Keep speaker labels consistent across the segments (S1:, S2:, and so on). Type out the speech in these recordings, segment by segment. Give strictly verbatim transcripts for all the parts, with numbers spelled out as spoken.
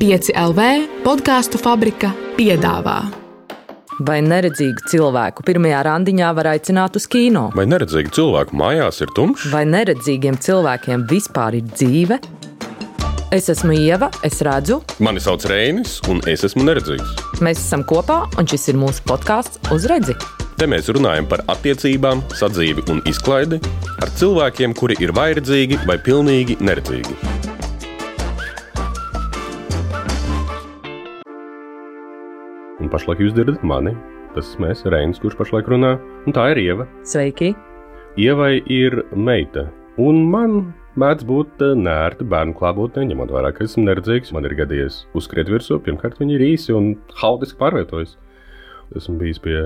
S1: pieci L V podcastu fabrika piedāvā.
S2: Vai neredzīgu cilvēku pirmajā randiņā var aicināt uz kino?
S3: Vai neredzīgu cilvēku mājās ir tumšs?
S2: Vai neredzīgiem cilvēkiem vispār ir dzīve? Es esmu Ieva, es redzu.
S3: Mani sauc Reinis, un es esmu neredzīgs.
S2: Mēs esam kopā, un šis ir mūsu podcasts Uz redzi.
S3: Te mēs runājam par attiecībām, sadzīvi un izklaidi ar cilvēkiem, kuri ir vai redzīgi, vai pilnīgi neredzīgi. Un pašlaik jūs dzirdat mani. Tas esmu es, Reinis, kurš pašlaik runā. Un tā ir Ieva.
S2: Sveiki.
S3: Ievai ir meita. Un man mēdz būt nērti bērnu klātbūtnē, ņemot vērā, ka esmu neredzīgs. Man ir gadījies uzskriet virsū. Pirmkārt, viņi ir īsi un haotiski pārvietojas. Esmu bijis pie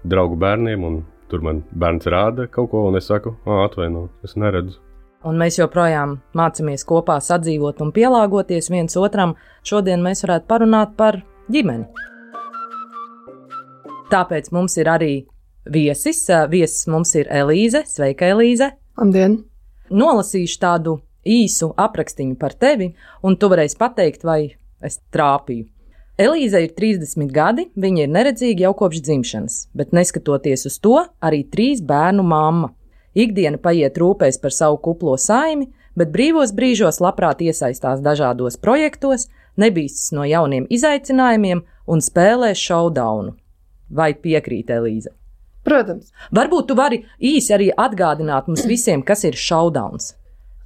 S3: draugu bērniem, un tur man bērns rāda kaut ko, un es saku, atvaino, es neredzu.
S2: Un mēs joprojām mācamies kopā sadzīvot un pielāgoties viens otram. Šodien mēs varētu parunāt par ģimeni. Tāpēc mums ir arī viesis. Viesis mums ir Elīze. Sveika, Elīze.
S4: Labdien.
S2: Nolasīšu tādu īsu aprakstiņu par tevi, un tu varēsi pateikt, vai es trāpīju. Elīze ir trīsdesmit gadi, viņa ir neredzīga jau kopš dzimšanas, bet neskatoties uz to, arī trīs bērnu mamma. Ikdiena paiet rūpēs par savu kuplo saimi, bet brīvos brīžos labprāt iesaistās dažādos projektos, nebīstas no jauniem izaicinājumiem un spēlē showdownu. Vai piekrīt, Elīze?
S4: Protams.
S2: Varbūt tu vari īsi arī atgādināt mums visiem, kas ir showdowns.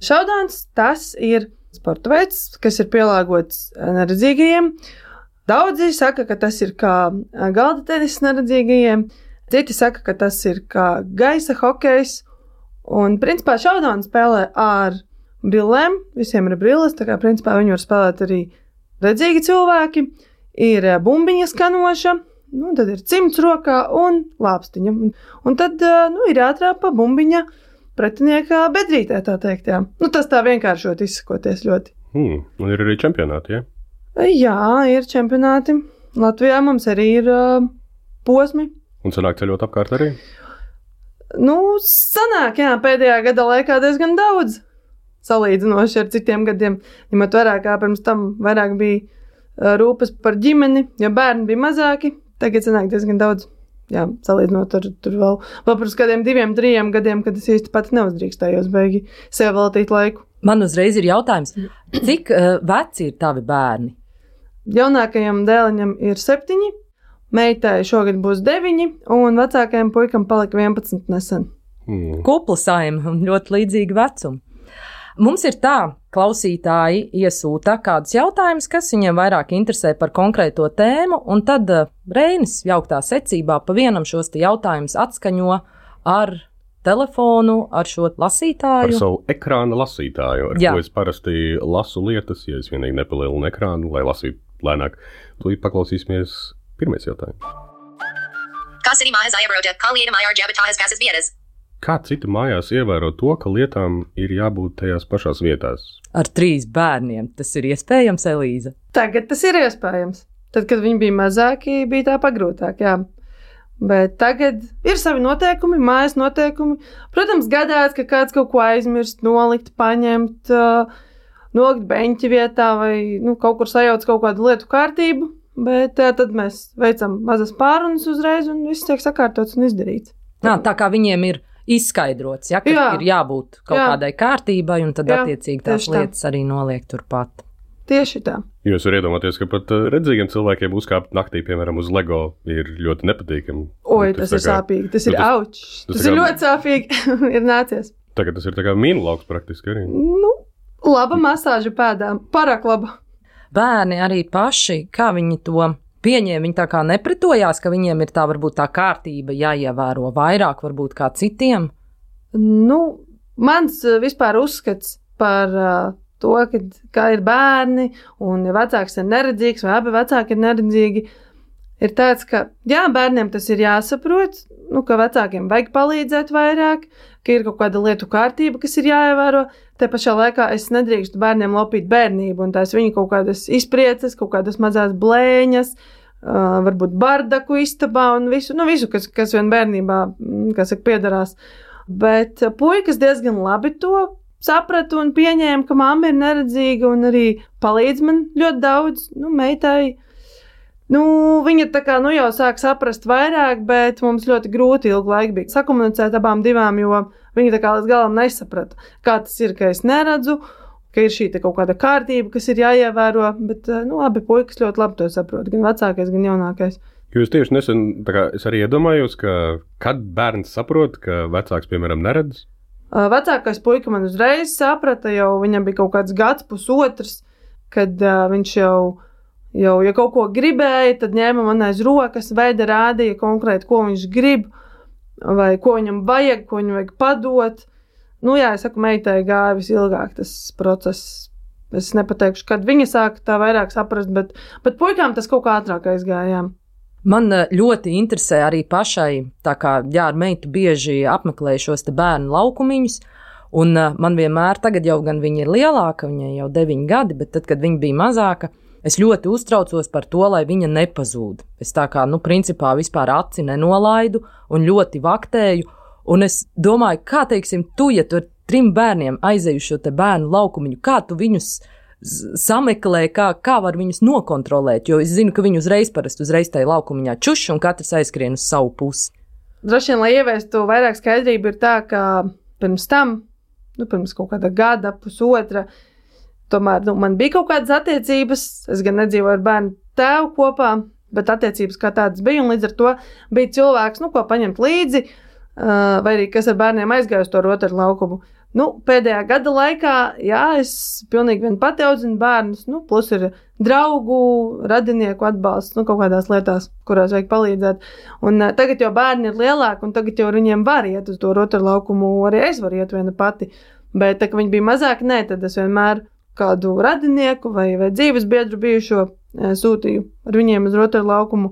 S4: Showdowns tas ir sporta veids, kas ir pielāgots neredzīgajiem. Daudzi saka, ka tas ir kā galda tenis neredzīgajiem, citi saka, ka tas ir kā gaisa hokejs, un principā showdown spēlē ar brillēm, visiem ir brilles, tā kā principā viņi var spēlēt arī redzīgi cilvēki, ir bumbiņa skanoša, nu, tad ir cimds rokā un lāpstiņa, un, un tad, nu, ir jātrāpa bumbiņa pretinieka bedrītē, tā teikt, jā. Nu, tas tā vienkāršot izsakoties ļoti.
S3: Hmm, un ir arī čempionāti, ja?
S4: Jā, ir čempionāti. Latvijā mums arī ir uh, posmi.
S3: Un sanāk ceļot apkārt arī?
S4: Nu, sanāk, jā, pēdējā gada laikā diezgan daudz. Salīdzinoši ar citiem gadiem. Ņemot vērā, kā pirms tam vairāk bija uh, rūpes par ģimeni, jo bērni bija mazāki. Tagad sanāk diezgan daudz. Jā, salīdzinot ar tur vēl, vēl pirms kādiem diviem, trījiem gadiem, kad es īsti pati neuzdrīkstējos beigi sev veltīt laiku.
S2: Man uzreiz ir jautājums, cik uh, veci ir tavi bērni?
S4: Jaunākajam dēliņam ir septiņi, meitai šogad būs deviņi, un vecākajam puikam palika vienpadsmit nesen.
S3: Hmm.
S2: Kupla saima un ļoti līdzīgi vecumi. Mums ir tā, klausītāji iesūta kādus jautājumus, kas viņiem vairāk interesē par konkrēto tēmu, un tad uh, Reinis jauktā secībā pa vienam šos te jautājumus atskaņo ar telefonu, ar šo lasītāju.
S3: Ar savu ekrāna lasītāju, ar Jā. Ko es parasti lasu lietas, ja es vienīgi nepalielinu ekrānu, lai lasītu lēnāk. Tūlīt paklausīsimies pirmais jautājums. Kā citi mājās ievēro to, ka lietām ir jābūt tajās pašās vietās?
S2: Ar trīs bērniem tas ir iespējams, Elīze?
S4: Tagad tas ir iespējams. Tad, kad viņi bija mazāki, bija tā pagrūtāk, jā. Bet tagad ir savi noteikumi, mājas noteikumi. Protams, gadās, ka kāds kaut ko aizmirst, nolikt, paņemt, uh, nolikt beņķi vietā vai nu, kaut kur sajauc kaut kādu lietu kārtību, bet uh, tad mēs veicam mazas pārunas uzreiz un viss tiek sakārtots un izdarīts.
S2: Nā, tā kā viņiem ir izskaidrots, ja, ka jā. Ir jābūt kaut Jā. Kādai kārtībai un tad Jā, attiecīgi tās lietas tā. Arī noliek turpat.
S4: Tieši tā.
S3: Jūs varat iedomāties, ka pat redzīgiem cilvēkiem uzkāpt naktī, piemēram, uz Lego ir ļoti nepatīkami.
S4: Oi, tas, tas ir kā, sāpīgi, tas ir tas, auč. Tas, tas ir kā, ļoti sāpīgi, ir nācies.
S3: Tagad tas ir tā kā mīnu lauks praktiski arī.
S4: Nu, laba masāža pēdām, parāk laba.
S2: Bērni arī paši, kā viņi to pieņēma, viņi tā kā nepretojās, ka viņiem ir tā varbūt tā kārtība jāievēro vairāk varbūt kā citiem?
S4: Nu, mans vispār uzskats par uh, to, ka, kā ir bērni, un ja vecāks ir neredzīgs, vai abi vecāki ir neredzīgi, ir tāds, ka jā, bērniem tas ir jāsaprot, nu, ka vecākiem vajag palīdzēt vairāk, ka ir kaut kāda lietu kārtība, kas ir jāievēro. Te pašā laikā es nedrīkstu bērniem lopīt bērnību, un tās viņu kaut kādas izprieces, kaut kādas mazās blēņas, uh, varbūt bardaku istabā un visu, nu, visu, kas, kas vien bērnībā, kas saka, piedarās. Bet puikas diezgan labi to sapratu un pieņēmu, ka mamma ir neredzīga un arī palīdz man ļoti daudz, nu, meitai. Nu, viņa tā kā, nu, jau sāk saprast vairāk, bet mums ļoti grūti ilgu laiku bija sakomunicēt abām divām, jo viņa tā kā līdz galam nesaprata, kā tas ir, ka es neredzu, ka ir šī kaut kāda kārtība, kas ir jāievēro, bet, nu, abi puikas ļoti labi to saprot, gan vecākais, gan jaunākais.
S3: Jūs tieši nesen, tā kā es arī iedomājos, ka kad bērns saprot, ka vecāks, piemēram, neredz?
S4: Vecākais puika man uzreiz saprata, jau viņam bija kaut kāds gads, pusotrs, kad uh, viņš jau Jau, ja kaut ko gribēja, tad ņēma man aiz rokas, veida rādīja konkrēti, ko viņš grib, vai ko viņam vajag, ko viņam vajag padot. Nu jā, es saku, meitai gāja visilgāk tas process. Es nepateikšu, kad viņa sāka tā vairāk saprast, bet, bet puikām tas kaut kā ātrāk aizgāja.
S2: Man ļoti interesē arī pašai, tā kā, jā, ar meitu bieži apmeklēju šos te bērnu laukumiņus, un man vienmēr, tagad jau gan viņa ir lielāka, viņai jau deviņi gadi, bet tad, kad viņa bija mazāka, es ļoti uztraucos par to, lai viņa nepazūd. Es tā kā, nu, principā vispār aci nenolaidu un ļoti vaktēju, un es domāju, kā, teiksim, tu, ja tu ar trim bērniem aizēju šo te bērnu laukumiņu, kā tu viņus sameklē, kā, kā var viņus nokontrolēt, jo es zinu, ka viņi uzreiz parasti uzreiz tajā laukumiņā čuši un katrs aizskrien uz savu pusi.
S4: Droši vien, lai ieviestu vairāk skaidrību, ir tā, ka pirms tam, nu, pirms kaut kāda gada, pusotra, tomēr nu, man bija kaut kādas attiecības, es gan nedzīvoju ar bērnu tēvu kopā, bet attiecības kā tādas bija, un līdz ar to bija cilvēks, nu, ko paņemt līdzi, vai arī kas ar bērniem aizgāja uz to rotaru laukumu. Nu, pēdējā gada laikā, jā, es pilnīgi vien pati audzinu bērnus, nu, plus ir draugu, radinieku atbalsts, nu, kaut kādās lietās, kurās vajag palīdzēt. Un uh, tagad jau bērni ir lielāki, un tagad jau viņiem var iet uz to rotaru laukumu, arī es varu iet viena pati. Bet, tā, ka viņi bija mazāki, nē, tad es vienmēr kādu radinieku vai, vai dzīves biedru bijušo e, sūtīju ar viņiem uz rotaru laukumu,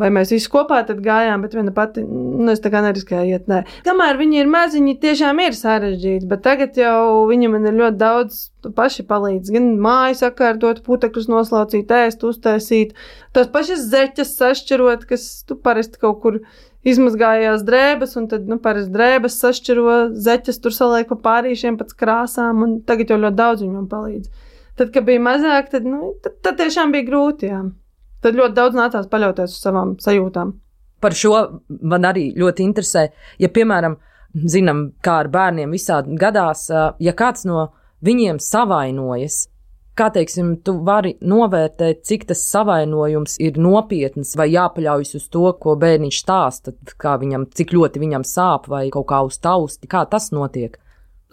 S4: vai mēs visi kopā tad gājām, bet viena pati, nu, es tā kā neriskēju iet, nē. Kamēr viņi ir maziņi, tiešām ir sarežģīti, bet tagad jau viņi man ir ļoti daudz paši palīdz, gan māju sakārtot, putekļus noslaucīt, ēst, uztaisīt, tās pašas zeķas sašķirot, kas tu parasti kaut kur izmazgājās drēbes, un tad, nu, parasti drēbes sašķiro, zeķes tur saliek pa pārīšiem pēc krāsām, un tagad jau ļoti daudz viņam palīdz. Tad, kad bija mazāk, tad, nu, tad, tad tiešām bija grūti, jā. Tad ļoti daudz nācās paļauties uz savām sajūtām.
S2: Par šo man arī ļoti interesē, ja, piemēram, zinām, kā ar bērniem visādi gadās, ja kāds no viņiem savainojas, kā, teiksim, tu vari novērtēt, cik tas savainojums ir nopietns vai jāpaļaujas uz to, ko bērniņš stāsta, kā viņam, cik ļoti viņam sāp vai kaut kā uz tausti, kā tas notiek?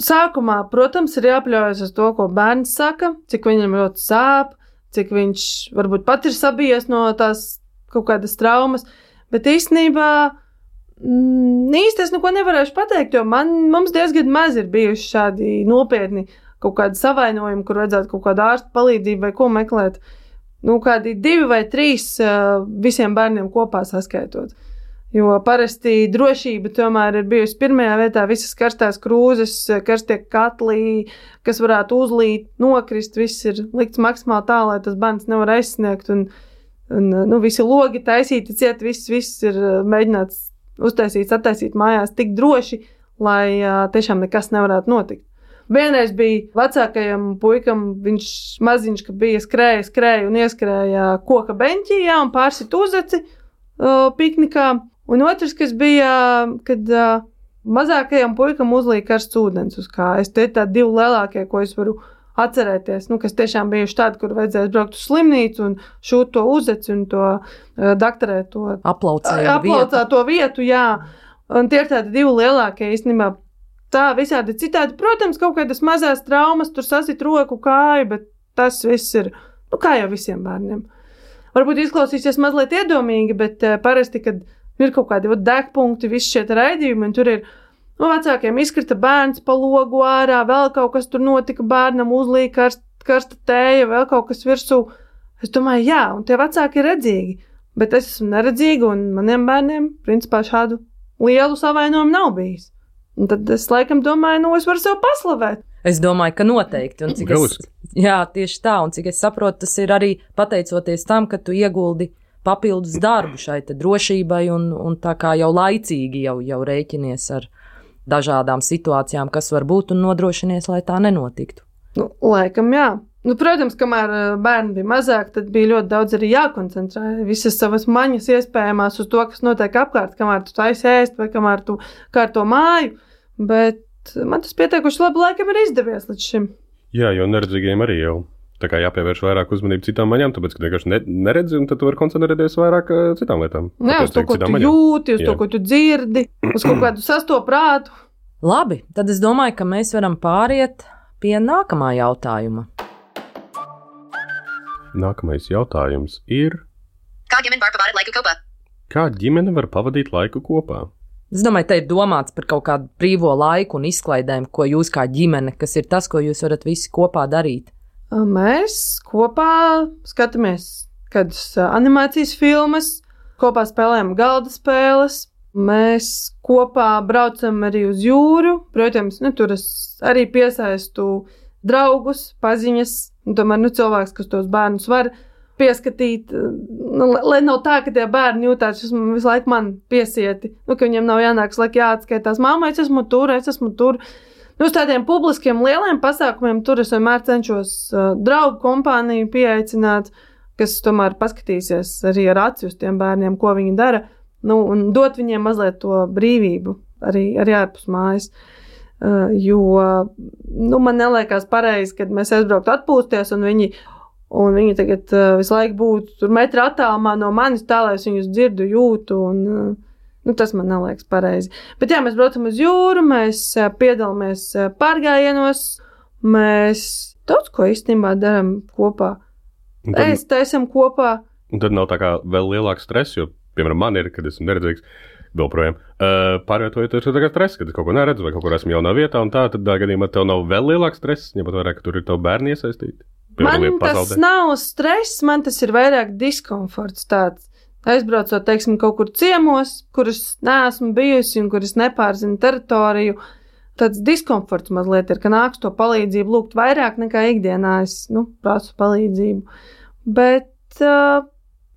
S4: Sākumā, protams, ir jāpaļaujas uz to, ko bērns saka, cik viņam ļoti sāp, cik viņš varbūt pat ir sabijies no tās kaut kādas traumas, bet īstenībā mm, īsti es neko nevarēšu pateikt, jo man, mums diezgan maz ir bijuši šādi nopietni kaut kādi savainojumi, kur vajadzētu kaut kādu ārstu palīdzību vai ko meklēt. Nu, kādi divi vai trīs visiem bērniem kopā saskaitot. Jo parasti drošība tomēr ir bijusi pirmajā vietā, visas karstās krūzes, karstie katlī, kas varētu uzlīt, nokrist, viss ir likts maksimāli tā, lai tas bērns nevar aizsniegt, un, un nu, visi logi taisīti ciet, viss, viss ir mēģināts uztaisīts, attaisīt mājās tik droši, lai tiešām nekas nevarētu notikt. Vienreiz bija vecākajam puikam, viņš maziņš, ka bija skrēja, skrēja un ieskrēja koka beņķī, jā, un pārsit uzeci uh, piknikā. Un otrs, kas bija, kad uh, mazākajam puikam uzlīja karsts ūdens uz kājas. Tie ir tādi divi lielākie, ko es varu atcerēties, nu, kas tiešām bijuši tādi, kur vajadzēs braukt uz slimnīcu un šūt to uzeci un to uh, daktarēt to
S2: aplaucēto
S4: vietu. vietu, jā. Un tie ir tādi divi lielākie īstenībā. Tā visādi citādi, protams, kaut kādas mazās traumas, tur sasit roku, kāju, bet tas viss ir, nu, kā jau visiem bērniem. Varbūt izklausīsies mazliet iedomīgi, bet uh, parasti, kad ir kaut kādi degpunkti, visi šie raidījumi, un tur ir, nu, vecākiem izkrita bērns pa logu ārā, vēl kaut kas tur notika, bērnam uzlīja karst, karsta tēja, vēl kaut kas virsū. Es domāju, jā, un tie vecāki ir redzīgi, bet es esmu neredzīga, un maniem bērniem, principā, šādu lielu savainojumu nav bijis. Un tad es laikam domāju, nu, es varu sev paslavēt.
S2: Es domāju, ka noteikti. Un cik es, jā, tieši tā, un cik es saprotu, tas ir arī pateicoties tam, ka tu ieguldi papildus darbu šai te drošībai un, un tā kā jau laicīgi jau, jau rēķinies ar dažādām situācijām, kas var būt, un nodrošinies, lai tā nenotiktu?
S4: Nu, laikam jā. Nu, protams, kamēr bērni bija mazāk, tad bija ļoti daudz arī jākoncentrē. Visas savas maņas iespējamās uz to, kas notiek apkārt, kamēr tu taisi ēst vai kamēr tu kārto māju. Bet man tas pietiekuši labi laikam ir izdevies līdz šim.
S3: Jā, jo neredzīgiem arī jau tā kā jāpievērš vairāk uzmanību citām maņām, tāpēc, ka vienkārši ne, neredzi, un tad tu vari koncentrēties vairāk uh, citām lietām.
S4: Jā, uz to, ko tu maņām. jūti, uz Jā. to, ko tu dzirdi, uz kaut kādu sasto prātu.
S2: Labi, tad es domāju, ka mēs varam pāriet pie nākamā jautājuma.
S3: Nākamais jautājums ir:
S5: Kā ģimene var pavadīt laiku kopā?
S3: Kā ģimene var pavadīt laiku kopā?
S2: Es domāju, te ir domāts par kaut kādu brīvo laiku un izklaidēm, ko jūs kā ģimene, kas ir tas, ko jūs varat visi kopā darīt.
S4: Mēs kopā skatāmies kādas animācijas filmas, kopā spēlējam galda spēles, mēs kopā braucam arī uz jūru. Protams, nu, tur es arī piesaistu draugus, paziņas, un tomēr nu, cilvēks, kas tos bērnus var pieskatīt, nu, lai nav tā, ka tie bērni jūtās visu laiku man piesieti, nu, ka viņiem nav jānāk laik jāatskaitās, māma, es esmu tur, es esmu tur. Nu, uz tādiem publiskiem lieliem pasākumiem tur es vienmēr cenšos uh, draugu kompāniju pieaicināt, kas tomēr paskatīsies arī ar aci uz tiem bērniem, ko viņi dara, nu, un dot viņiem mazliet to brīvību arī, arī ārpus mājas. Uh, jo nu, man neliekas pareizi, kad mēs aizbrauktu atpūsties, un viņi, un viņi tagad uh, visu laiku būtu tur metra attālumā no manis, tā, lai es viņus dzirdu, jūtu, un uh, nu, tas man neliekas pareizi. Bet jā, mēs braucam uz jūru, mēs uh, piedalāmies uh, pārgājienos, mēs daudz ko īstenībā daram kopā. Tad, Ēst, taisam kopā.
S3: Un tad nav tā kā vēl lielāks stress, jo, piemēram, man ir, kad esmu neredzīgs, vēl projām. Uh, Pārvietojoties ir tā kā stress, kad es kaut ko neredzu vai kaut kur esmu jaunā vietā, un tā, tad tā gadījumā tev nav vēl lielāks stress, ņemot vairāk, ka tur ir tavu bērni iesaistīti.
S4: Man tas nav stress, man tas ir vairāk diskomforts tāds. Aizbraucot, teiksim, kaut kur ciemos, kur es neesmu bijusi un kur es nepārzinu teritoriju, tāds diskomforts mazliet ir, ka nāks to palīdzību lūgt vairāk nekā ikdienā es, nu, prasu palīdzību. Bet uh,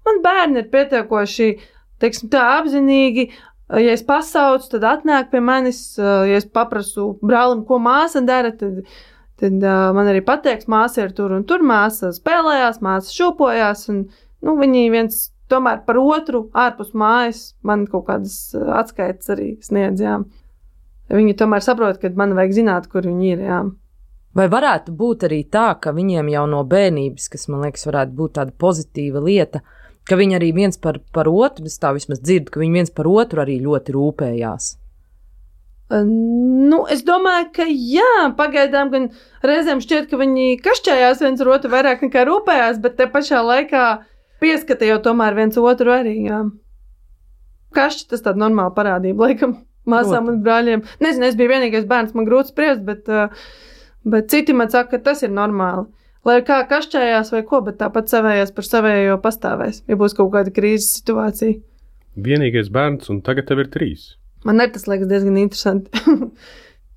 S4: man bērni ir pietiekoši, teiksim, tā apzinīgi, ja es pasaucu, tad atnāk pie manis, ja es paprasu brālim, ko māsa dara, tad, tad man arī pateiks, māsa ir tur un tur, māsa spēlējās, māsa šūpojās, un nu, viņi viens tomēr par otru ārpus mājas man kaut kādas atskaitas arī sniedzjām. Viņi tomēr saprot, ka man vajag zināt, kur viņi ir, jā.
S2: Vai varētu būt arī tā, ka viņiem jau no bērnības, kas man liekas varētu būt tāda pozitīva lieta, ka viņi arī viens par, par otru, es tā vismaz dzirdu, ka viņi viens par otru arī ļoti rūpējās?
S4: Nu, es domāju, ka jā, pagaidām gan reizēm šķiet, ka viņi kašķējās viens ar otru vairāk nekā rūpējās, bet te pašā laikā pieskata jau tomēr viens otru arī, jā. Kašķi tas tāda normāla parādība, laikam, māsām un brāļiem. Nezinu, es biju vienīgais bērns, man grūti spriest, bet, bet citi man saka, ka tas ir normāli. Lai kā kašķējās vai ko, bet tāpat savējās par savējo pastāvēs, ja būs kaut kāda krīzes situācija.
S3: Vienīgais bērns, un tagad tev ir trīs.
S4: Man arī tas liekas diezgan interesanti.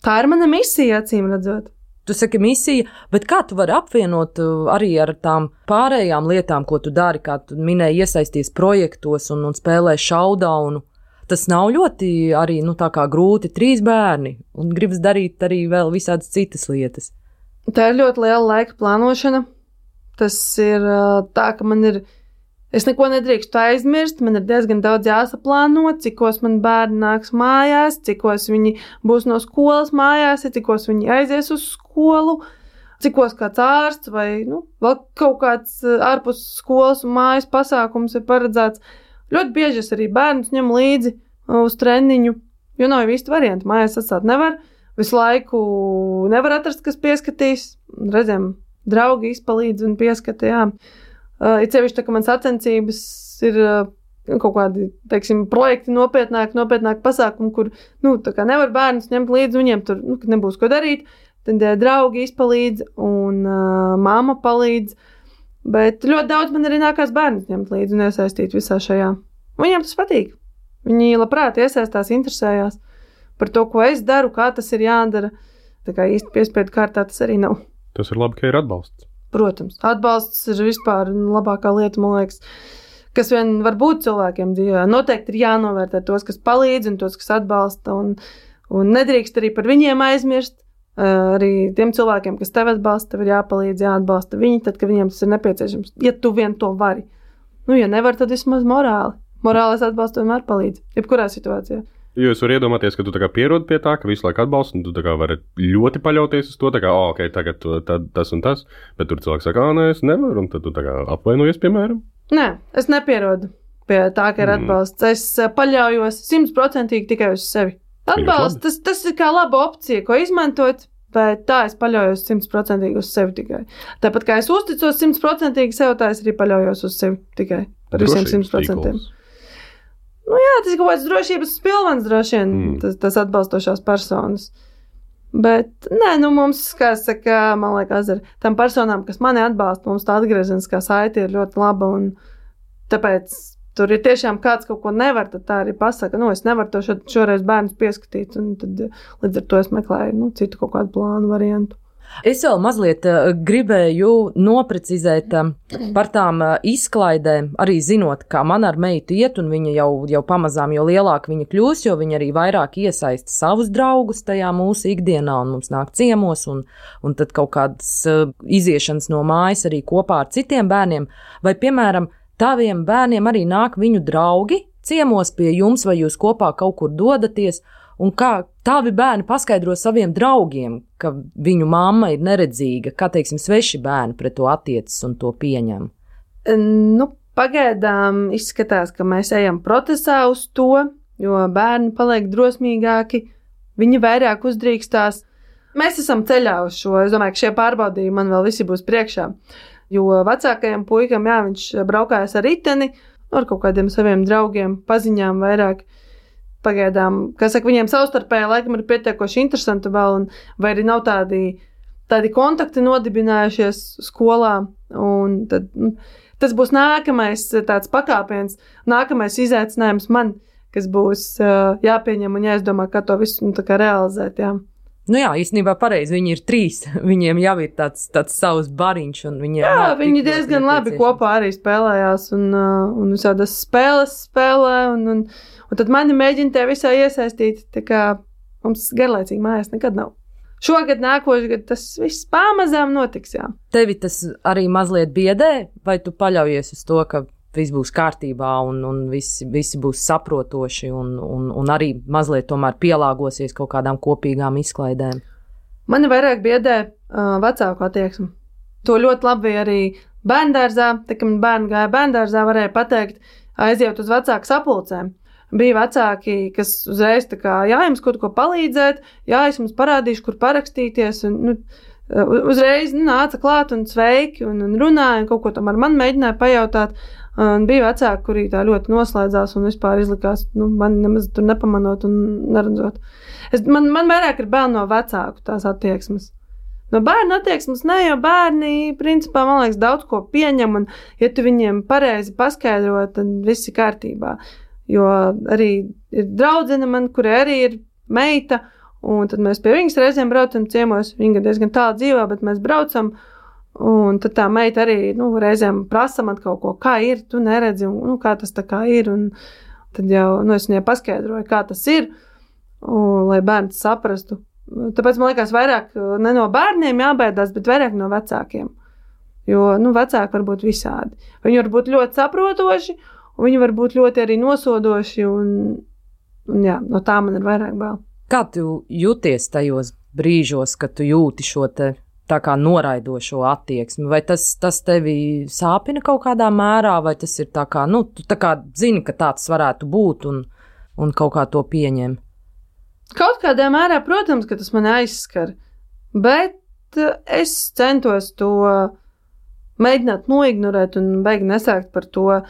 S4: Tā ir mana misija, acīm redzot.
S2: Tu saki misija, bet kā tu vari apvienot arī ar tām pārējām lietām, ko tu dari, kā tu minēji iesaisties projektos un, un spēlē showdownu? Tas nav ļoti arī, nu, tā kā grūti, trīs bērni, un gribas darīt arī vēl visādas citas lietas.
S4: Tā ir ļoti liela laika plānošana. Tas ir tā, ka man ir, es neko nedrīkstu aizmirst, man ir diezgan daudz jāsaplāno, cikos man bērni nāks mājās, cikos viņi būs no skolas mājās, cikos viņi aizies uz skolu, cikos kāds ārsts vai, nu, vēl kaut kāds ārpus skolas un mājas pasākums ir paredzēts. Ļoti bieži es arī bērnus ņem līdzi uz treniņu, jo nav īsti varianti, mājās atstāt nevar. Visu laiku nevar atrast, kas pieskatīs. Reizēm draugi izpalīdz un pieskata, jā. Uh, it sevišķi tā, ka man sacensības ir uh, kaut kādi, teiksim, projekti nopietnāk, nopietnāk pasākumi, kur, nu, tā kā nevar bērnus ņemt līdzi, viņiem tur, nu, kad nebūs ko darīt, tad uh, draugi izpalīdz un uh, māma palīdz. Bet ļoti daudz man arī nākās bērnus ņemt līdzi un iesaistīt visā šajā. Viņiem tas patīk. Viņi labprāt iesaistās, interesējās par to, ko es daru, kā tas ir jādara. Tā kā īsti piespiedu kārtā tas arī nav.
S3: Tas ir labi, ka ir atbalsts.
S4: Protams, atbalsts ir vispār labākā lieta, man liekas, kas vien var būt cilvēkiem dzīvē. Noteikti ir jānovērtē tos, kas palīdz un tos, kas atbalsta. Un, Un nedrīkst arī par viņiem aizmirst. Arī tiem cilvēkiem, kas tev atbalsta, tev ir jāpalīdz, jāatbalsta viņi, tad, kad viņiem tas ir nepieciešams. Ja tu vien to vari. Nu, ja nevar, tad vismaz morāli. Morālais atbalsts vienmēr palīdz. Jebkurā situācijā.
S3: Jo es varu iedomāties, ka tu tā kā pierodi pie tā, ka visu laiku atbalsti, un tu tā kā vari ļoti paļauties uz to, tā kā, oh, ok, tagad tu, tad, tas un tas, bet tur cilvēks saka, ā, nē, es nevaru, un tad tu tā kā apvainojies, piemēram.
S4: Nē, es nepierodu pie tā, ka ir atbalsts. Mm. Es paļaujos simtprocentīgi tikai uz sevi. Atbalsts, tas, tas ir kā laba opcija, ko izmantot, bet tā es paļaujos simtprocentīgi uz sevi tikai. Tāpat kā es uzticos simtprocentīgi sev, tā es arī paļaujos uz sevi tikai par visiem simt procentiem. Nu jā, tas ir kaut kāds drošības pilvens droši vien, mm. tas, tas atbalstošās personas. Bet, nē, nu mums, kā saka, man liekas, ar tam personām, kas mani atbalsta, mums tā atgriezeniskā saite ir ļoti laba, un tāpēc tur ir tiešām kāds kaut ko nevar, tad tā arī pasaka, nu, es nevaru to šo, šoreiz bērnus pieskatīt, un tad līdz ar to es meklēju, nu, citu kaut kādu plānu variantu.
S2: Es vēl mazliet uh, gribēju noprecizēt uh, par tām uh, izklaidēm, arī zinot, kā man ar meitu iet, un viņa jau, jau pamazām, jo lielāka viņa kļūs, jo viņa arī vairāk iesaista savus draugus tajā mūsu ikdienā, un mums nāk ciemos, un, un tad kaut kādas uh, iziešanas no mājas arī kopā ar citiem bērniem, vai, piemēram, taviem bērniem arī nāk viņu draugi ciemos pie jums, vai jūs kopā kaut kur dodaties, un kā tavi bērni paskaidro saviem draugiem, ka viņu mamma ir neredzīga, kā, teiksim, sveši bērni pret to attiecas un to pieņem?
S4: Nu, pagaidām izskatās, ka mēs ejam procesā uz to, jo bērni paliek drosmīgāki, viņi vairāk uzdrīkstās. Mēs esam ceļā uz šo, es domāju, ka šie pārbaudījumi man vēl visi būs priekšā, jo vecākajam puikam, jā, viņš braukājas ar riteni, ar kaut kādiem saviem draugiem, paziņām vairāk. Pagaidām, kā saka, viņiem savstarpēji laikam ir pietiekoši interesanti vēl, un vai arī nav tādi, tādi kontakti nodibinājušies skolā, un tad, nu, tas būs nākamais tāds pakāpiens, nākamais izaicinājums man, kas būs uh, jāpieņem un jāizdomā, kā to visu, nu, tā kā realizēt, jā.
S2: Nu jā, īstenībā pareizi, viņi ir trīs, viņiem jau ir tāds, tāds savs bariņš, un viņiem
S4: jā, viņi diezgan labi kopā arī spēlējās, un, uh, un visādas spēles spēlē, un, un Un tad mani mēģina te visā iesaistīt, tā kā mums garlaicīgi mājās nekad nav. Šogad, nākošais gad, tas viss pamazām notiks, jā.
S2: Tevi tas arī mazliet biedē, vai tu paļaujies uz to, ka viss būs kārtībā un, un visi, visi būs saprotoši un, un, un arī mazliet tomēr pielāgosies kaut kādām kopīgām izklaidēm?
S4: Mani vairāk biedē uh, vecāku attieksmi. To ļoti labi arī bērndārzā, tā kā man bērni gāja bērndārzā, varēja pateikt, aiziet uz vecāku sapulcēm. Bija vecāki, kas uzreiz tā kā, jā, jums kaut ko palīdzēt, jā, es jums parādīšu, kur parakstīties, un, nu, uzreiz nu, nāca klāt un sveiki, un, un runāja, un kaut ko tomēr man mēģināja pajautāt, un bija vecāki, kuri tā ļoti noslēdzās un vispār izlikās, nu, man nemaz tur nepamanot un neredzot. Es, man, man vairāk ir bail no vecāku tās attieksmes. No bērnu attieksmes ne, jo bērni, principā, man liekas, daudz ko pieņem, un ja tu viņiem pareizi paskaidro, tad viss ir kārtībā. Jo arī ir draudzene man, kurai arī ir meita, un tad mēs pie viņas reizēm braucam ciemos, viņa diezgan tālu dzīvo, bet mēs braucam, un tad tā meita arī, nu, reizēm prasa man kaut ko, kā ir, tu neredzi, un, nu, kā tas tā kā ir, un tad jau, nu, es viņai paskaidroju, kā tas ir, un, lai bērns saprastu. Tāpēc man liekas vairāk ne no bērniem jābaidās, bet vairāk no vecākiem, jo, nu, vecāki var būt visādi. Viņi var būt ļoti saprotoši, un viņi var būt ļoti arī nosodoši, un, un jā, no tā man ir vairāk bail.
S2: Kā tu jūties tajos brīžos, kad tu jūti šo te tā kā noraidošo attieksmi? Vai tas, tas tevi sāpina kaut kādā mērā, vai tas ir tā kā, nu, tu tā kā zini, ka tāds varētu būt, un, un kaut kā to pieņem?
S4: Kaut kādā mērā, protams, ka tas man aizskar, bet es centos to mēģināt noignorēt un beigi nesākt par to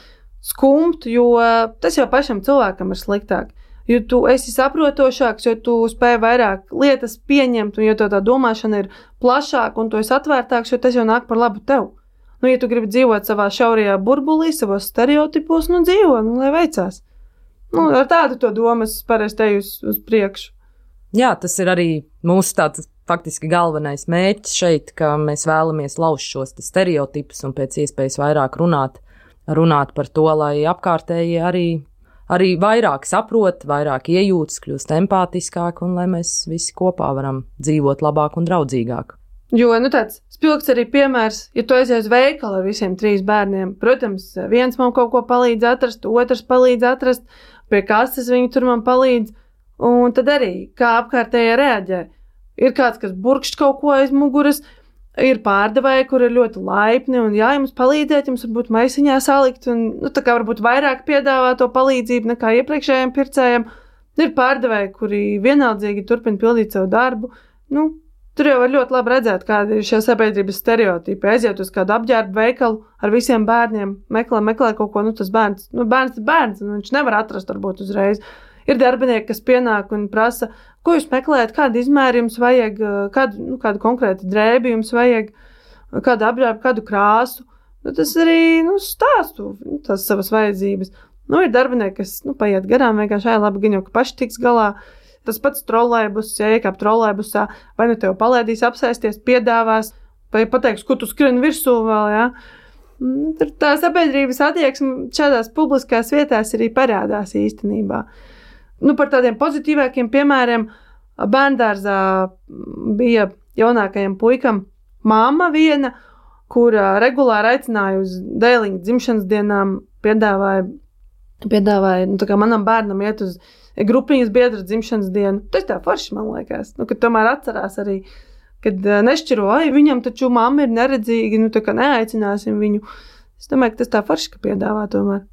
S4: skumt, jo tas jau pašam cilvēkam ir sliktāk. Jo tu esi saprotošāks, jo tu spēj vairāk lietas pieņemt, un jo to tā domāšana ir plašāka, un tu esi atvērtāks, jo tas jau nāk par labu tev. Nu, ja tu gribi dzīvot savā šaurajā burbulī, savos stereotipos, nu dzīvo, nu, lai veicās. Nu, ar tādu to domu es parasti teju uz, uz priekšu.
S2: Jā, tas ir arī mūsu tāds faktiski galvenais mērķis šeit, ka mēs vēlamies lauzt šos stereotipus un pēc iespējas vairāk runāt. runāt par to, lai apkārtēji arī arī vairāk saprot, vairāk iejūtas, kļūst empātiskāk un lai mēs visi kopā varam dzīvot labāk un draudzīgāk.
S4: Jo, nu tāds spilgts arī piemērs, ja tu aizies uz veikalu ar visiem trīs bērniem, protams, viens man kaut ko palīdz atrast, otrs palīdz atrast, pie kases viņi tur man palīdz, un tad arī, kā apkārtējie reaģē. Ir kāds, kas burkšķ kaut ko aiz muguras, ir pārdevēji, kur ir ļoti laipni, un jā, jums palīdzēt, jums varbūt maisiņā salikt, un, nu, tā kā varbūt vairāk piedāvā to palīdzību nekā iepriekšējiem pircējiem. Ir pārdevēji, kuri vienaldzīgi turpina pildīt savu darbu, nu, tur jau var ļoti labi redzēt, kāda ir šie sabiedrības stereotipi. Aiziet uz kādu apģērbu veikalu ar visiem bērniem, meklē, meklē kaut ko, nu tas bērns, nu bērns ir bērns, un viņš nevar atrast varbūt uzreiz. Ir darbinieki, kas pienāk un prasa, ko jūs meklējat, kādu izmēru jums vajag, kādu, nu, kādu konkrētu drēbi jums vajag, kādu apģērbu, kādu krāsu. Nu, tas arī, nu, stāstu nu, tās savas vajadzības. Nu, ir darbinieki, kas, nu, paiet garām, vienkārši āja labi gaņo, ka paši tiks galā. Tas pats trolejbus, ja iekāp trolejbusā, vai nu tev palēdīs apsēsties, piedāvās, vai pateiks, ko tu skrien virsū vēl, jā. Tā sabiedrības attieksme šādās publiskās vietās arī parādās īstenībā. Nu, par tādiem pozitīvākiem piemēriem, bērndārzā bija jaunākajam puikam mamma viena, kura regulāri aicināja uz dēliņu dzimšanas dienām, piedāvāja, piedāvāja, nu, tā kā manam bērnam iet uz grupiņas biedra dzimšanas dienu. Tas tā forši, man liekas, nu, kad tomēr atcerās arī, kad nešķiro, ai, viņam taču mamma ir neredzīga, nu, tā kā neaicināsim viņu. Es domāju, ka tas tā forši, ka piedāvā tomēr.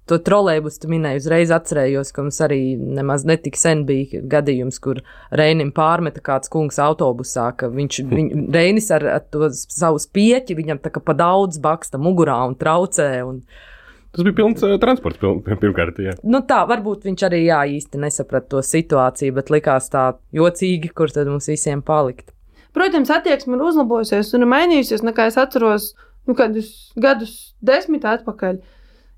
S2: To trolejbus tu minēji, uzreiz atcerējos, ka mums arī nemaz netik sen bija gadījums, kur Reinim pārmeta kāds kungs autobusā, ka viņš, viņ, Reinis ar, ar to savu spieķi, viņam tā kā pa daudz baksta mugurā un traucē, un
S3: tas bija pilns uh, transports piln, pirmkārt, jā.
S2: Nu tā, varbūt viņš arī jā, īsti nesaprat to situāciju, bet likās tā jocīgi, kur tad mums visiem palikt.
S4: Protams, attieksme ir uzlabojusies un ir mainījusies, nekā es atceros, nu, kādus gadus desmit atpakaļ.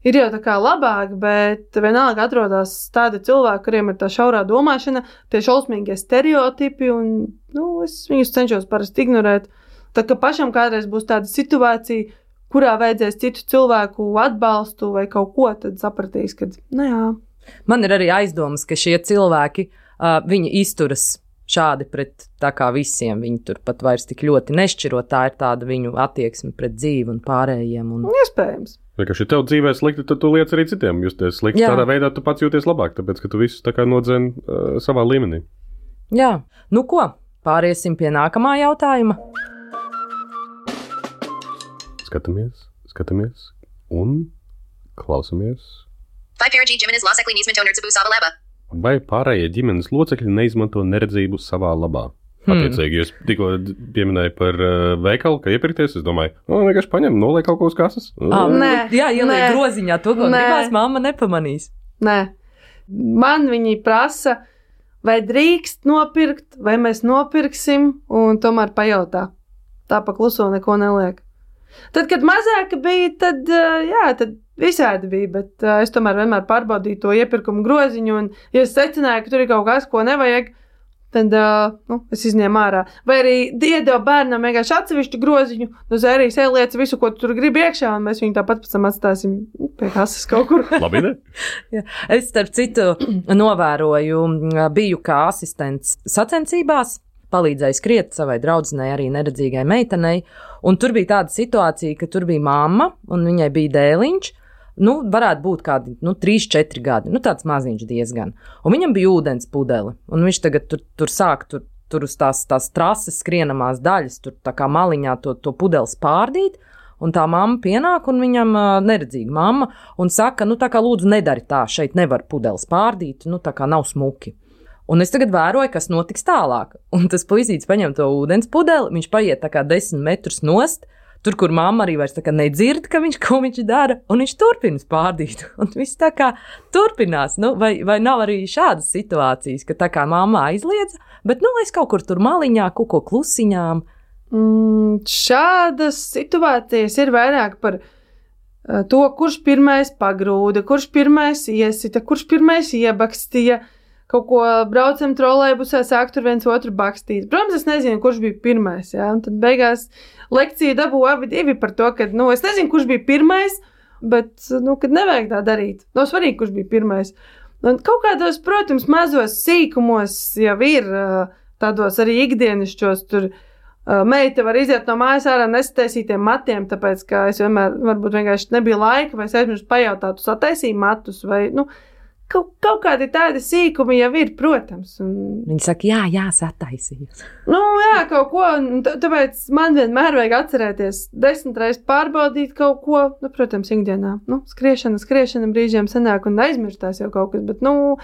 S4: Ir jau tā kā labāk, bet vienalga atrodas tādi cilvēki, kuriem ir tā šaurā domāšana, tie šausmīgie stereotipi, un, nu, es viņus cenšos parasti ignorēt. Tā kā pašam kādreiz būs tāda situācija, kurā vajadzēs citu cilvēku atbalstu vai kaut ko, tad sapratīs, ka, nu jā.
S2: Man ir arī aizdomas, ka šie cilvēki, uh, viņi izturas šādi pret tā kā visiem, viņi tur pat vairs tik ļoti nešķiro, tā ir tāda viņu attieksme pret dzīvi un pārējiem. Un...
S4: Iespējams.
S3: Vienkārši, ja tev dzīvē slikti, tad tu liec arī citiem justies slikti. Jā. Tādā veidā tu pats jūties labāk, tāpēc, ka tu visus tā kā nodzen uh, savā līmenī.
S2: Jā. Nu ko, pāriesim pie nākamā jautājuma.
S3: Skatāmies, skatāmies un klausamies.
S5: Vai pieredzi ģimenes locekļi neizmanto neredzību savā labā?
S3: Vai pārējie ģimenes locekļi neizmanto neredzību savā labā? Hmm. Attiecīgi, jūs tikko pieminēju par uh, veikalu, ka iepirkties, es domāju, no, vienkārši paņem, noliek kaut ko uz kases.
S2: Ah, nē, jā, ieliek groziņā to, ko
S4: nē.
S2: gribās, mamma nepamanīs.
S4: Nē, man viņi prasa, vai drīkst nopirkt, vai mēs nopirksim, un tomēr pajautā. Tā pa kluso neko neliek. Tad, kad mazāka bija, tad, jā, tad visādi bija, bet es tomēr vienmēr pārbaudīju to iepirkumu groziņu, un ja es secināju, ka tur ir kaut kas, ko nevajag, tad nu, es izņēmu ārā. Vai arī iedevu bērnam vienkārši atsevišķu groziņu, no zērijas ieliec visu, ko tu tur gribi iekšā, un mēs viņu tāpat pēc tam atstāsim pie kases kaut kur.
S3: Labi, ne?
S2: Jā. Es, starp citu, novēroju, biju kā asistents sacensībās, palīdzēja skriet savai draudzenei, arī neredzīgai meitenei, un tur bija tāda situācija, ka tur bija mamma, un viņai bija dēliņš, nu, varētu būt kādi, nu, trīs, četri gadi, nu, tāds maziņš diezgan, un viņam bija ūdens pudeli, un viņš tagad tur, tur sāk, tur, tur uz tās, tās trases skrienamās daļas, tur tā kā maliņā to, to pudeli spārdīt, un tā mamma pienāk, un viņam uh, neredzīga mamma, un saka, nu, tā kā lūdzu nedari tā, šeit nevar pudeli spārdīt, nu, tā kā nav smuki. Un es tagad vēroju, kas notiks tālāk. Un tas puisītis paņem to ūdens pudeli, viņš paiet tā kā desmit metrus nost, tur, kur mamma arī vairs tā kā nedzird, ka viņš, ko viņš dara, un viņš turpina spārdīt. Un viss tā kā turpinās. Nu, vai, vai nav arī šādas situācijas, ka tā kā mamma aizliedza, bet, nu, es kaut kur tur maliņā, kaut ko klusiņām.
S4: Mm, šādas situācijas ir vairāk par uh, to, kurš pirmais pagrūda, kurš pirmais iesita, kurš pirmais iebakstīja. Kaut ko braucam trolejbusā, sāk tur viens otru bakstīt. Protams, es nezinu, kurš bija pirmais, jā, un tad beigās lekcija dabū abi divi par to, ka, nu, es nezinu, kurš bija pirmais, bet, nu, kad nevajag tā darīt. Nav svarīgi, kurš bija pirmais. Un kaut kādos, protams, mazos sīkumos jau ir tādos arī ikdienišķos, tur meita var iziet no mājas ārā nesataisītiem matiem, tāpēc, ka es vienmēr, varbūt vienkārši nebija laika, vai es aizmirstu pajautāt, tu sataisīji matus, vai, nu, kaut, kaut kādi tādi sīkumi jau ir, protams. Un...
S2: Viņi saka, jā, jā, sataisījos.
S4: Nu, jā, kaut ko, un tāpēc man vienmēr vajag atcerēties desmit reizes pārbaudīt kaut ko, nu, protams, ikdienā. Nu, skriešana, skriešana brīžiem sanāk un aizmirstās jau kaut kas, bet, nu,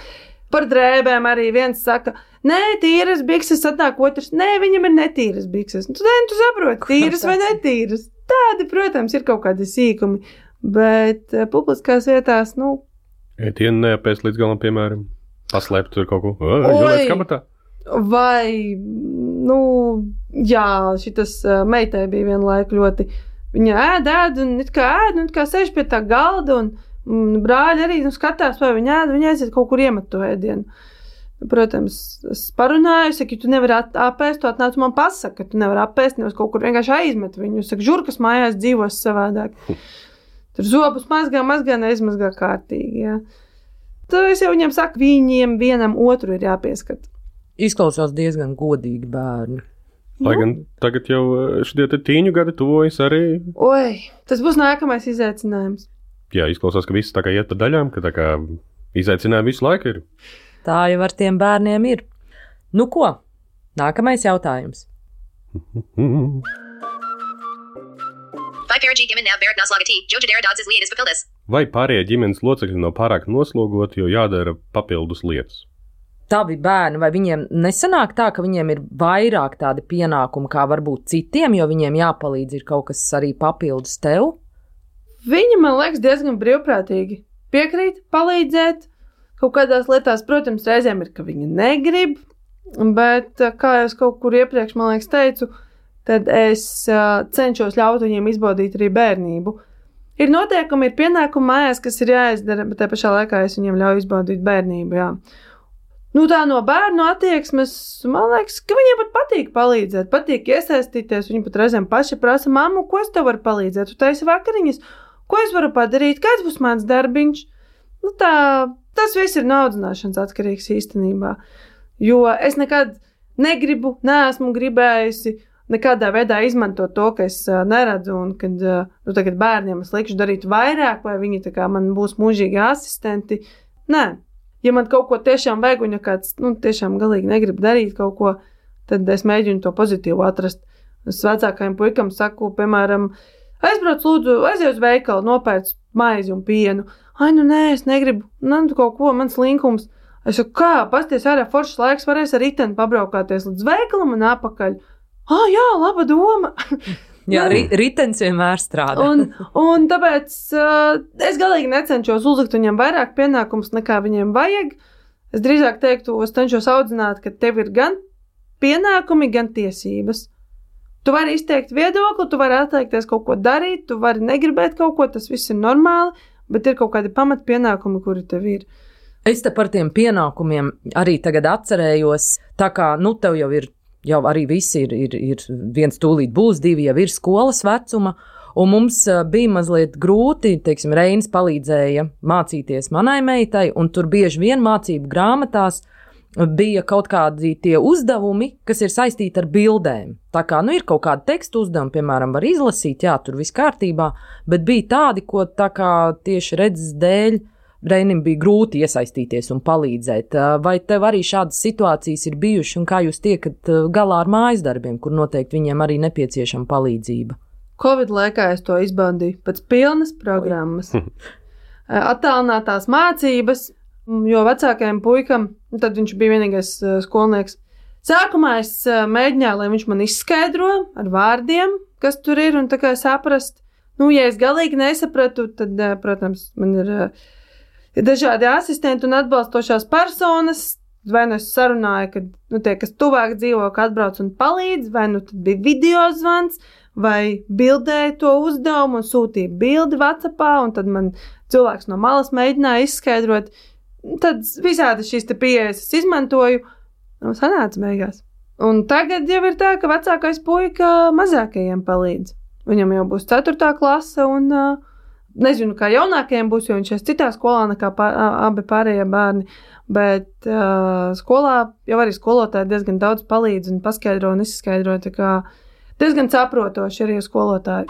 S4: par drēbēm arī viens saka, nē, tīras bikses, atnāk otrs, nē, viņam ir netīras bikses. Nu, tu, tu saproti, tīras vai netīras. Tādi, protams, ir kaut kādi sīkumi, bet uh, publiskās vietās, nu,
S3: ētienu neapēst līdz galam, piemēram, paslēpt tur kaut ko. Gulēt kabatā.
S4: Vai, nu, jā, šitas uh, meitai bija vienu laiku ļoti, viņa ēd, ēd, un it kā ēd, un it kā sēž pie tā galda, un, un brāļi arī, nu, skatās, vai viņa ēd, viņa aiziet kaut kur iemet to ēdienu. Protams, es parunāju, saku, ja tu nevari apēst, tu atnāc man pasaka, ka tu nevari apēst, nevis kaut kur vienkārši aizmet viņu. Saku, žurkas mājās dzīvos savādāk. Tur zobus mazgā, mazgā, neizmazgā kārtīgi, jā. Tu es jau viņam saku, viņiem vienam otru ir jāpieskat.
S2: Izklausās diezgan godīgi bērni.
S3: Lai gan tagad jau šitie te tīņu gadi tuvojas arī.
S4: Oi, tas būs nākamais izaicinājums.
S3: Jā, izklausās, ka viss tā kā iet pa daļām, ka tā kā izaicinājumi visu laiku ir.
S2: Tā jau ar tiem bērniem ir. Nu ko? Nākamais jautājums.
S3: Vai pārējie ģimenes locekļi nav pārāk noslogoti, jo jādara papildus lietas?
S2: Tavi bērni, vai viņiem nesanāk tā, ka viņiem ir vairāk tādi pienākumi kā varbūt citiem, jo viņiem jāpalīdz ir kaut kas arī papildus tev?
S4: Viņi, man liekas, diezgan brīvprātīgi piekrīt, palīdzēt. Kaut kādās lietās, protams, reizēm ir, ka viņi negrib, bet, kā jau es kaut kur iepriekš, man liekas, teicu, tad es uh, cenšos ļaut viņiem izbaudīt arī bērnību. Ir noteikumi, ir pienākumi mājās, kas ir jāizdara, bet te pašā laikā es viņiem ļauju izbaudīt bērnību, jā. Nu, tā no bērnu attieksmes, man liekas, ka viņiem pat patīk palīdzēt, patīk iesaistīties, viņi pat reizēm paši prasa, mammu, ko es tev varu palīdzēt, tu taisi vakariņas, ko es varu padarīt, kāds būs mans darbiņš? Nu, tā, tas viss ir no audzināšanas atkarīgs īstenībā, jo es nekad negribu, neesmu gribējusi nekādā veidā izmantot to, ka es uh, neredzu, un kad uh, nu, tagad bērniem es likšu darīt vairāk, vai viņi tā kā man būs mūžīgi asistenti. Nē, ja man kaut ko tiešām vajag, un ja kāds nu, tiešām galīgi negrib darīt kaut ko, tad es mēģinu to pozitīvu atrast. Es vecākajam puikam saku, piemēram, aizbrauc lūdzu, aiziet uz veikalu, nopērc maizi un pienu. Ai, nu nē, es negribu, nu kaut ko, mans linkums. Es saku, kā, pasties ārā foršs laiks, varēs ar riteni pabraukāties līdz veikalam un apakaļ. Ah, jā, laba doma.
S2: Jā, ri, ritens vienmēr strādā.
S4: un, un tāpēc uh, es galīgi necenšos uzlikt viņiem vairāk pienākums, nekā viņiem vajag. Es drīzāk teiktu, es cenšos audzināt, ka tev ir gan pienākumi, gan tiesības. Tu vari izteikt viedokli, tu vari atteikties kaut ko darīt, tu vari negribēt kaut ko, tas viss ir normāli, bet ir kaut kādi pamat pienākumi, kuri tev ir.
S2: Es te par tiem pienākumiem arī tagad atcerējos, tā kā, nu, tev jau ir, jau arī visi ir, ir, ir viens tūlīt būs, divi jau ir skolas vecuma, un mums bija mazliet grūti, teiksim, Reinis palīdzēja mācīties manai meitai, un tur bieži vien mācību grāmatās bija kaut kādi tie uzdevumi, kas ir saistīti ar bildēm. Tā kā, nu, ir kaut kāda teksta uzdevuma, piemēram, var izlasīt, jā, tur viss kārtībā, bet bija tādi, ko tā kā tieši redzes dēļ Reinim bija grūti iesaistīties un palīdzēt. Vai tev arī šādas situācijas ir bijušas, un kā jūs tiekat galā ar mājas darbiem, kur noteikti viņiem arī nepieciešama palīdzība?
S4: Covid laikā es to izbaudīju pēc pilnas programmas. Attālinātās mācības, jo vecākajam puikam, tad viņš bija vienīgais skolnieks. Sākumā es mēģināju, lai viņš man izskaidro ar vārdiem, kas tur ir, un tā kā saprast. Nu, ja es galīgi nesapratu, tad, protams, man ir, ir dažādi asistenti un atbalstošās personas, vai nu es sarunāju, kad, nu, tie, kas tuvāk dzīvo, ka atbrauc un palīdz, vai nu tad bija video zvans, vai bildēja to uzdevumu un sūtīja bildi WhatsAppā, un tad man cilvēks no malas mēģināja izskaidrot. Tad visādi šīs te pieejas es izmantoju, un sanāca beigās. Un tagad jau ir tā, ka vecākais puika mazākajiem palīdz. Viņam jau būs ceturtā klase, un uh, nezinu, kā jaunākajiem būs, jo viņš ir citā skolā nekā pār, abi pārējie bērni, bet uh, skolā jau arī skolotāji diezgan daudz palīdz un paskaidro un izskaidro, tā kā diezgan saprotoši arī skolotāji.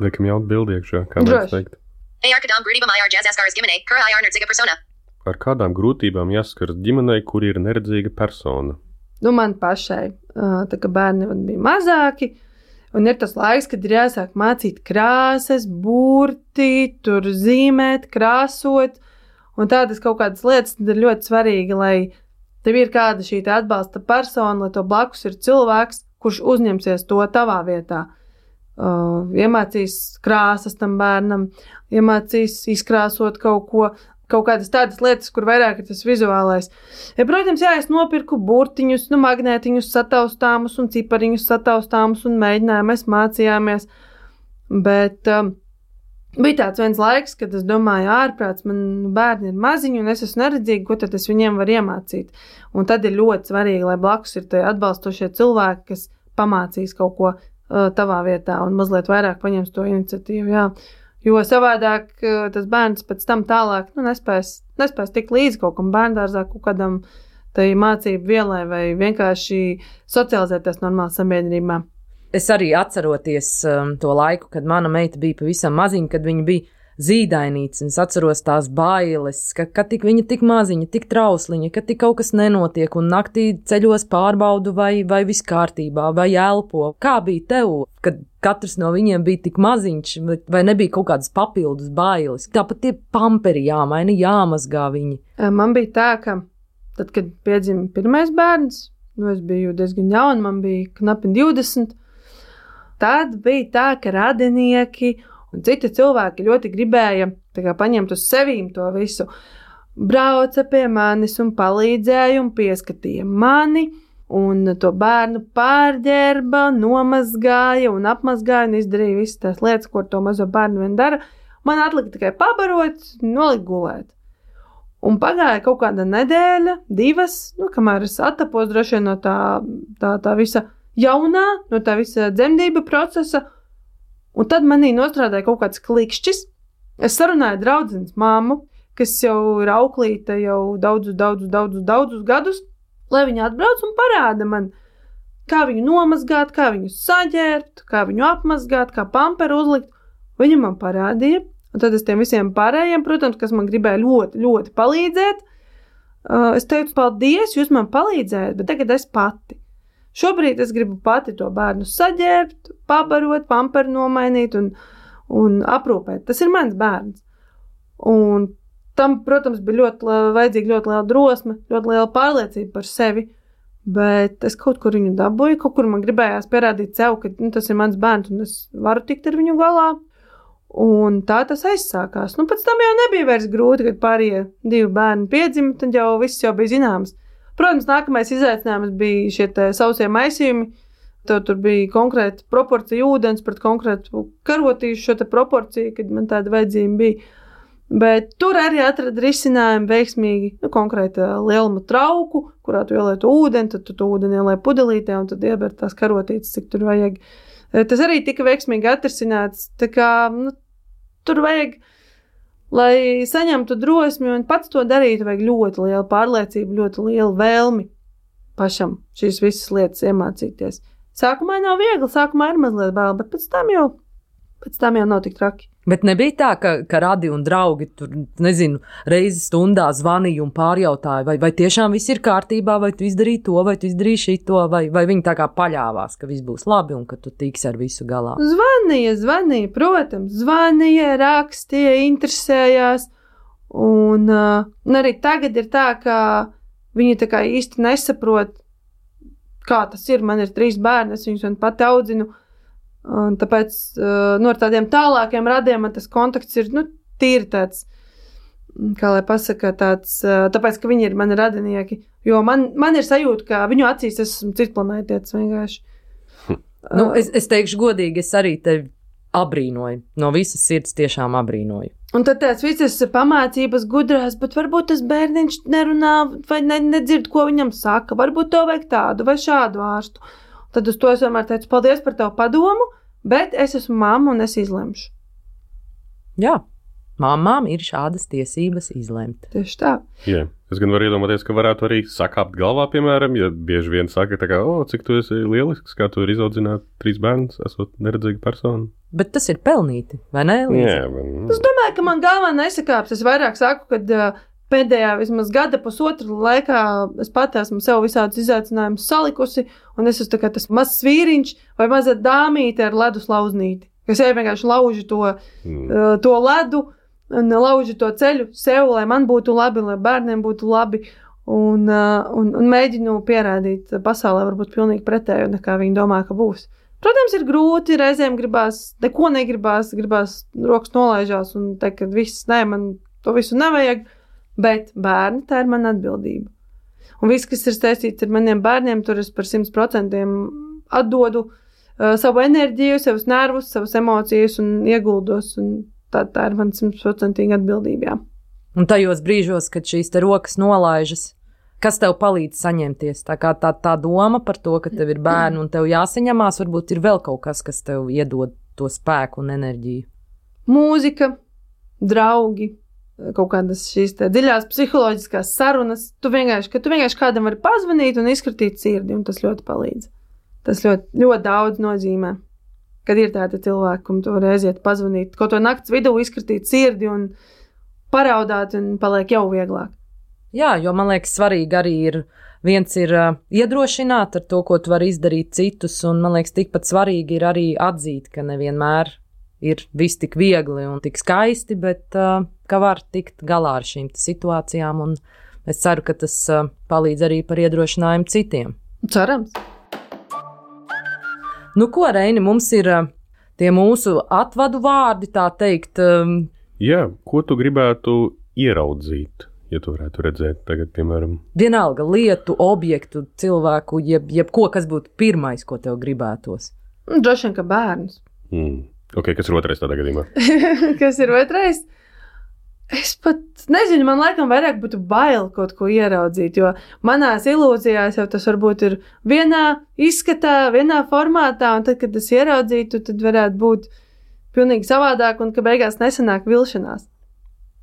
S3: Liekam jaut bildi iekšā, kā mēs teikt.
S5: Hey, Arkadam, Brudibam, I R, Jazz Askars, Gimene, Kura, I R, Nerdziga persona.
S3: Ar kādām grūtībām jāskars ģimenei, kur ir neredzīga persona?
S4: Nu, man pašai, tā kā bērni man bija mazāki, un ir tas laiks, kad ir jāsāk mācīt krāsas, burti, tur zīmēt, krāsot, un tādas kaut kādas lietas ir ļoti svarīgi, lai tev ir kāda šī atbalsta persona, lai to blakus ir cilvēks, kurš uzņemsies to tavā vietā. Uh, iemācīs krāsas tam bērnam, iemācīs izkrāsot kaut ko, kaut kādas tādas lietas, kur vairāk ir tas vizuālais. Ja, protams, jā, es nopirku burtiņus, nu, magnētiņus sataustāmus un cipariņus sataustāmus un mēģinājumu, mēs mācījāmies, bet um, bija tāds viens laiks, kad es domāju, ārprāts, man bērni ir maziņi un es esmu neredzīga, ko tad es viņiem varu iemācīt. Un tad ir ļoti svarīgi, lai blakus ir tie atbalstošie cilvēki, kas pamācīs kaut ko uh, tavā vietā un mazliet vairāk paņems to iniciatīvu, jā. Jo savādāk tas bērns pēc tam tālāk nu, nespēs, nespēs tikt līdz kaut kam bērndārzā, kaut kādam tai mācību vielai vai vienkārši socializēties normāli sabiedrībā.
S2: Es arī atceroties um, to laiku, kad mana meita bija pavisam maziņa, kad viņa bija zīdainīts, un es atceros tās bailes, ka, ka tik viņa tik maziņa, tik trausliņa, ka tik kaut kas nenotiek, un naktī ceļos pārbaudu, vai, vai viss kārtībā, vai elpo. Kā bija tev, kad katrs no viņiem bija tik maziņš, vai nebija kaut kādas papildus bailes? Tāpat tie pamperi jāmaina, jāmazgā viņi.
S4: Man bija tā, ka tad, kad piedzima pirmais bērns, nu es biju diezgan jauna, man bija knapi divdesmit, tad bija tā, ka radinieki un citi cilvēki ļoti gribēja tā kā paņemt uz sevīm to visu. Brauca pie manis un palīdzēja un pieskatīja mani, un to bērnu pārģērba, nomazgāja un apmazgāja un izdarīja visas tās lietas, ko to mazo bērnu vien dara. Man atlika tikai pabarot, nolikt gulēt. Un pagāja kaut kāda nedēļa, divas, nu, kamēr es attapos droši vien no tā, tā, tā visa jaunā, no tā visa dzemdība procesa. Un tad manī nostrādāja kaut kāds klikšķis. Es sarunāju draudzenes māmu, kas jau ir auklīte jau daudzus, daudzus, daudzus, daudzus gadus, lai viņa atbrauc un parāda man, kā viņu nomazgāt, kā viņu saģērbt, kā viņu apmazgāt, kā pamperu uzlikt. Viņa man parādīja, un tad es tiem visiem pārējiem, protams, kas man gribēja ļoti, ļoti palīdzēt, es teicu, paldies, jūs man palīdzējat, bet tagad es pati. Šobrīd es gribu pati to bērnu saģērbt, pabarot, pamperu nomainīt un, un aprūpēt. Tas ir mans bērns. Un tam, protams, bija ļoti vajadzīga ļoti liela drosme, ļoti liela pārliecība par sevi, bet es kaut kur viņu dabūju, kaut kur man gribējās pierādīt sev, ka nu, tas ir mans bērns un es varu tikt ar viņu galā. Un tā tas aizsākās. Nu, pēc tam jau nebija vairs grūti, kad pārējie divi bērni piedzima, tad jau viss jau bija zināms. Protams, nākamais izaicinājums bija šie sausie maisījumi. Tev tur bija konkrēta proporcija ūdens pret konkrētu karotīšu šo te proporciju, kad man tāda vajadzība bija. Bet tur arī atrada risinājumu veiksmīgi, nu, konkrēta lieluma trauku, kurā tu ielietu ūdeni, tad tu to ūdeni ielēji pudelītē un tad ieber tās karotītes, cik tur vajag. Tas arī tika veiksmīgi atrisināts, tā kā, nu, tur vajag, lai saņemtu drosmi un pats to darītu, vajag ļoti lielu pārliecību, ļoti lielu vēlmi pašam šīs visas lietas iemācīties. Sākumā nav viegli, sākumā ir mazliet bail, bet pēc tam jau, pēc tam jau nav tik traki.
S2: Bet nebija tā, ka, ka radi un draugi tur, nezinu, reizi stundā zvanīja un pārjautāja, vai, vai tiešām viss ir kārtībā, vai tu izdarīji to, vai tu izdarīji šito, vai, vai viņi tā kā paļāvās, ka viss būs labi un ka tu tiksi ar visu galā?
S4: Zvanīja, zvanīja, protams, zvanīja, rakstīja, interesējās, un, uh, un arī tagad ir tā, ka viņi tā kā īsti nesaprot, kā tas ir, man ir trīs bērni, es viņus vien pati audzinu, un tāpēc nu, ar tādiem tālākiem radiem man tas kontakts ir nu, tīri tāds, kā lai pasaka, tāds, tāpēc, ka viņi ir mani radinieki. Jo man, man ir sajūta, ka viņu acīs es esmu citplanētietis vienkārši.
S2: Nu, es, es teikšu godīgi, es arī tevi abrīnoju. No visas sirds tiešām abrīnoju.
S4: Un tad tās visas pamācības gudrās, bet varbūt tas bērniņš nerunā vai ne, nedzird, ko viņam saka. Varbūt tev vajag tādu vai šādu ārstu. Tad uz to es vienmēr teicu, paldies par tavu padomu, bet es esmu mamma un es izlemšu.
S2: Jā, mamām ir šādas tiesības izlemt.
S4: Tieši tā.
S3: Jā. Es gan varu iedomāties, ka varētu arī sakāpt galvā, piemēram, ja bieži vien saka, tā kā, o, cik tu esi lielisks, kā tu vari izaudzināt trīs bērnus, esot neredzīga persona.
S2: Bet tas ir pelnīti, vai ne, Līza?
S3: Jā, man...
S4: Es domāju, ka man galvā nesakāps. Es vairāk saku, ka uh, pēdējā vismaz gada pusotru laikā es pat esmu sev visādus izaicinājumus salikusi, un es esmu tā kā tas mazs vīriņš vai maza dāmīte ar ledus lauznīti, kas jau vienkārši lauži to, mm. uh, to ledu, un lauži to ceļu sev, lai man būtu labi, lai bērniem būtu labi, un, uh, un, un mēģinu pierādīt pasaulē varbūt pilnīgi pretēju, nekā viņi domā, ka būs. Protams, ir grūti, reizēm gribās, neko negribās, gribās rokas nolaižās un teikt, ka viss, nē, man to visu nevajag, bet bērni, tā ir mana atbildība. Un viss, kas ir saistīts ar maniem bērniem, tur es par simt procentiem atdodu uh, savu enerģiju, savus nervus, savas emocijas un ieguldos, un Tā, tā ir man simtprocentīga atbildība, jā.
S2: Un tajos brīžos, kad šīs te rokas nolaižas, kas tev palīdz saņemties? Tā kā tā, tā doma par to, ka tev ir bērni un tev jāsaņemās, varbūt ir vēl kaut kas, kas tev iedod to spēku un enerģiju.
S4: Mūzika, draugi, kaut kādas šīs te dziļās psiholoģiskās sarunas. Tu vienkārši, ka tu vienkārši kādam vari pazvanīt un izkritīt sirdi, un tas ļoti palīdz. Tas ļoti, ļoti daudz nozīmē. Kad ir tādi cilvēki, kam tu vari aiziet pazvanīt, kaut to nakts vidū izkritīt sirdi un paraudāt, un paliek jau vieglāk.
S2: Jā, jo man liekas svarīgi arī ir, viens ir uh, iedrošināt ar to, ko tu vari izdarīt citus, un man liekas tikpat svarīgi ir arī atzīt, ka nevienmēr ir viss tik viegli un tik skaisti, bet uh, ka var tikt galā ar šīm situācijām, un es ceru, ka tas uh, palīdz arī par iedrošinājumu citiem.
S4: Cerams.
S2: Nu, ko, Reini, mums ir uh, tie mūsu atvadu vārdi, tā teikt. Um,
S3: Jā, ko tu gribētu ieraudzīt, ja tu varētu redzēt tagad, piemēram?
S2: Vienalga lietu, objektu, cilvēku, jeb, jeb ko, kas būtu pirmais, ko tev gribētos.
S4: Droši vien, ka bērnus.
S3: Mm. Ok, kas ir otrais tādā gadījumā?
S4: Kas ir otrais? Es pat nezinu, man laikam vairāk būtu bail kaut ko ieraudzīt, jo manās ilūzijās jau tas varbūt ir vienā izskatā, vienā formātā, un tad, kad es ieraudzītu, tad varētu būt pilnīgi savādāk, un ka beigās nesanāk vilšanās.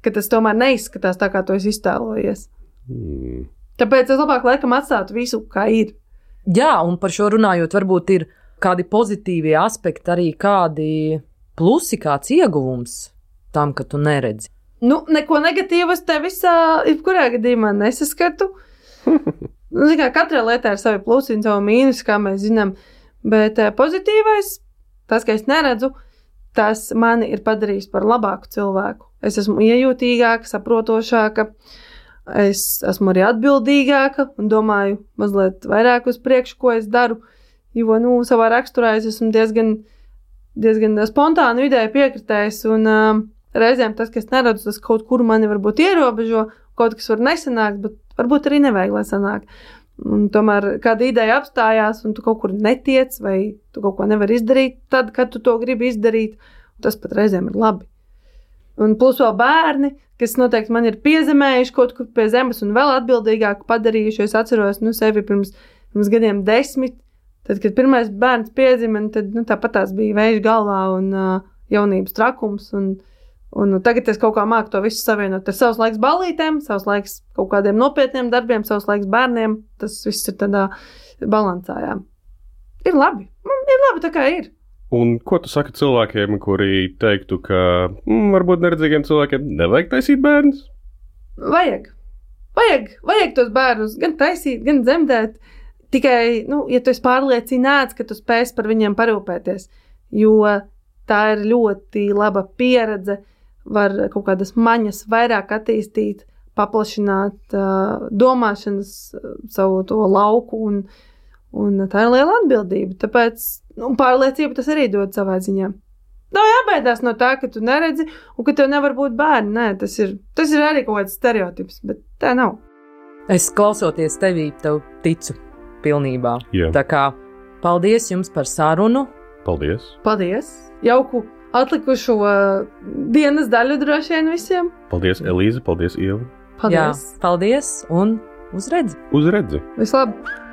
S4: Ka tas tomēr neizskatās tā, kā to es iztēlojies. Hmm. Tāpēc es labāk laikam atstātu visu, kā ir.
S2: Jā, un par šo runājot, varbūt ir kādi pozitīvie aspekti, arī kādi plusi, kāds ieguvums tam, ka tu neredzi.
S4: Nu, neko negatīvu es te visā, jebkurā gadījumā nesaskatu. Nu, kā katrai lietai ir savi plusi un savi mīnusi, kā mēs zinām, bet pozitīvais, tas, ka es neredzu, tas mani ir padarījis par labāku cilvēku. Es esmu iejūtīgāka, saprotošāka, es esmu arī atbildīgāka un domāju mazliet vairāk uz priekšu, ko es daru, jo, nu, savā raksturā es esmu diezgan, diezgan spontāni vidēji piekritējis un uh, reizēm tas, kas neredzu, tas kaut kur mani varbūt ierobežo, kaut kas var nesanākt, bet varbūt arī nevajag, lai sanāk. Un tomēr kāda ideja apstājās, un tu kaut kur netiec, vai tu kaut ko nevari izdarīt tad, kad tu to gribi izdarīt, tas pat reizēm ir labi. Un plus vēl bērni, kas noteikti man ir piezemējuši kaut kur pie zemes un vēl atbildīgāk padarījuši. Es atceros, nu, sevi pirms, pirms gadiem desmit, tad, kad pirmais bērns piedzima, tad, nu, tāpat tās bija vējš galvā un uh, jaunības trakums, un Un tagad es kaut kā māku to visu savienot. Tas savs laiks ballītēm, savs laiks kaut kādiem nopietniem darbiem, savs laiks bērniem. Tas viss ir tādā balansā, jā. Ir labi. Ir labi tā kā ir.
S3: Un ko tu saki cilvēkiem, kuri teiktu, ka mm, varbūt neredzīgiem cilvēkiem nevajag taisīt bērnus?
S4: Vajag. Vajag. Vajag tos bērnus gan taisīt, gan dzemdēt. Tikai, nu, ja tu esi pārliecināts, ka tu spēsi par viņiem parūpēties. Jo tā ir ļoti laba pieredze. Var kaut kādas maņas vairāk attīstīt, paplašināt uh, domāšanas uh, savu to lauku, un, un tā ir liela atbildība. Tāpēc nu, pārliecība tas arī dod savā ziņā. Nav jābaidās no tā, ka tu neredzi un ka tev nevar būt bērni. Nē, tas ir, tas ir arī kaut kāds stereotips, bet tā nav.
S2: Es klausoties tevī, tev ticu pilnībā.
S3: Jā.
S2: Tā kā paldies jums par sarunu.
S3: Paldies.
S4: Paldies. Jauku atlikušo dienas daļu droši vien visiem.
S3: Paldies, Elīze, paldies, Ieva.
S4: Paldies.
S2: Jā, paldies un uz redzi.
S3: Uz redzi.
S4: Vislabāk.